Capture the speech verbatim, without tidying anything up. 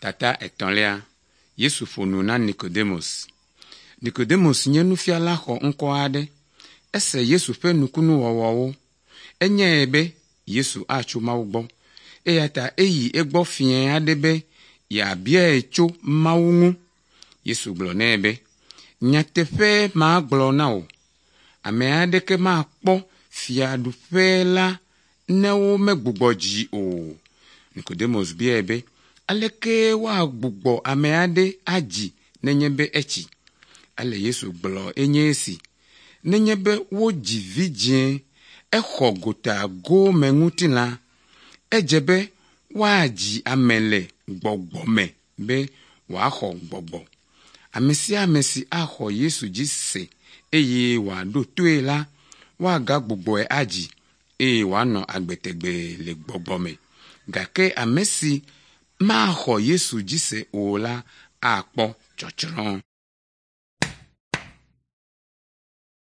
Tata etɔ̃lia Yesu ƒo nu na Nicodemus. Nicodemus nye nufiala xɔ ŋkɔ aɖe. Ese Yesu ƒe nukunuwɔwɔwo. Enyae be Yesu atso Mawu gbɔ. Eya ta eyi egbɔ fiẽ aɖe be yeabiae tso Mawu ŋu. Yesu gblɔ nɛ be, “Nyateƒe magblɔ na wò, ame aɖeke makpɔ fiaɖuƒe la ne womegbugbɔ dzi o.” Nicodemus biae be, “Aleke woagbugbɔ ame aɖe adzi nenye be etsi?” Ale Yesu gblɔ enye esi, “Nenye be wodzi vidzĩe, exɔ gotagome ŋutilã. Edze be woadzi ame le gbɔgbɔ me be wòaxɔ gbɔgbɔ. Ame sia ame si axɔ Yesu dzi se eye wòaɖo toe la, woagagbugbɔe adzi eye wòanɔ agbe tegbee le gbɔgbɔ me. Gake ame si maxɔ Yesu dzi se o la akpɔ tsɔtsrɔ̃.”